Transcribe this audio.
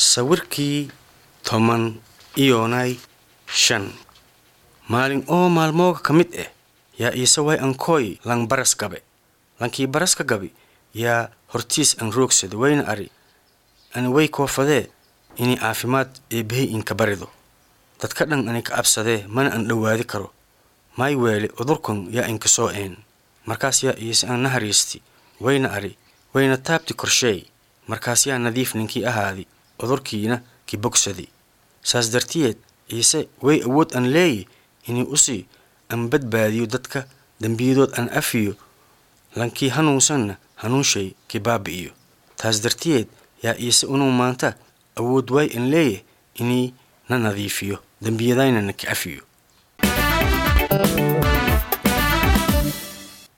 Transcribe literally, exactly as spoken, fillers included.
Sawirkii toban iyonay shan. Maalin oo maalmooga ka mid ah yaa Iise way ankooy lang baras gabe. Lankii baraska gabi yaa hortiis an roogsada wayna ari ani way koofadee inay caafimaad eebbahay inka barido. Dadka dhan ani ka absadee mana an dhowaadi karo. Maay weele cudurkan yaa inka soo een. Markaas yaa Iise an nahariisti wayna ari wayna taabti korsheey. Markaas yaa nadiif ninkii ahaadi cudurkiina ki bogsadi. Saas dartiyeed Iise way awood an leeyi inuu usii an badbaadiyo dadka dembiyadood an afiyo lankii hanuunsanna hanuunshay ki baabi'iyo. Taas dartiyeed yaa Iise unuu maanta awood way an leeyahay inii na nadiifiyo dembiyadayna na ka afiyo.